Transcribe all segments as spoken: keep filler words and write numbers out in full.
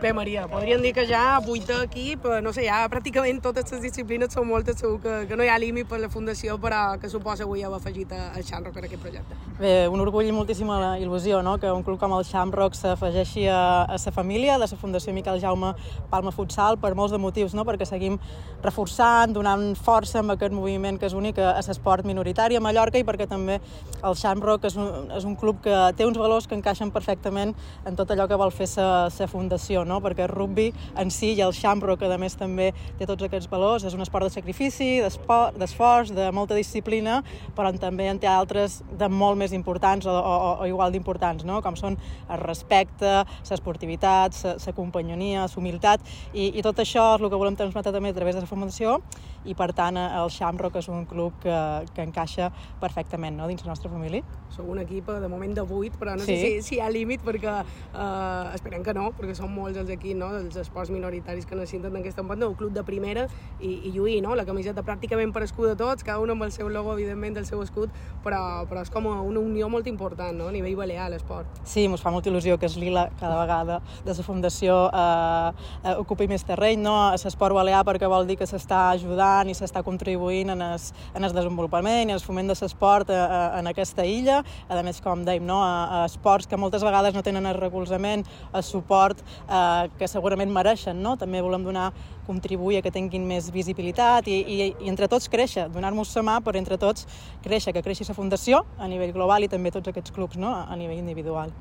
Bé, Maria, podríem dir que ja vuit equip, no sé, ja pràcticament totes les disciplines són moltes, segur que, que no hi ha límit per la Fundació, però que suposa avui haver afegit el Shamrock en aquest projecte. Bé, un orgull i moltíssima il·lusió, no?, que un club com el Shamrock s'afegeixi a, a sa família de la Fundació Miquel Jaume Palma Futsal per molts de motius, no?, perquè seguim reforçant, donant força amb aquest moviment que és únic a l'esport minoritari a Mallorca i perquè també el Shamrock és un, és un club que té uns valors que encaixen perfectament en tot allò que vol fer sa, sa fundació, no?, perquè el rugby en si i el Shamrock, que a més també té tots aquests valors, és un esport de sacrifici, d'esforç, de molta disciplina, però també en té altres de molt més importants o, o, o igual d'importants, no?, com són el respecte, l'esportivitat, la companyonia, la humilitat, i, i tot això és el que volem transmetre també a través de la Fundació, i per tant el Shamrock és un club que, que encaixa perfectament, no?, dins la nostra família. Sou un equip de moment de vuit, però no sí. sé si, si hi ha límit, perquè eh, esperem que no, perquè són molts els equips, no?, dels esports minoritaris que necessiten d'aquesta banda, un club de primera, i, i lluir, no?, la camiseta pràcticament per escut de tots, cada un amb el seu logo, evidentment, del seu escut, però, però és com una unió molt important, no?, a nivell balear, l'esport. Sí, ens fa molta il·lusió que es lila cada vegada de la Fundació eh, eh, ocupi més terreny, no?, a l'esport balear, perquè vol dir que s'està ajudant i s'està contribuint en el, en el desenvolupament i el foment de l'esport eh, en aquesta illa. A més, com dèiem, no?, a, a esports que moltes vegades no tenen el recolzament, el suport eh, que segurament mereixen, no? També volem donar, contribuir a que tinguin més visibilitat i, i, i entre tots créixer, donar-nos la mà per entre tots créixer, que creixi la Fundació a nivell global i també tots aquests clubs, no?, a nivell individual.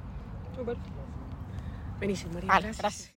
Super. Beníssim, Maria. Vale, gràcies. gràcies.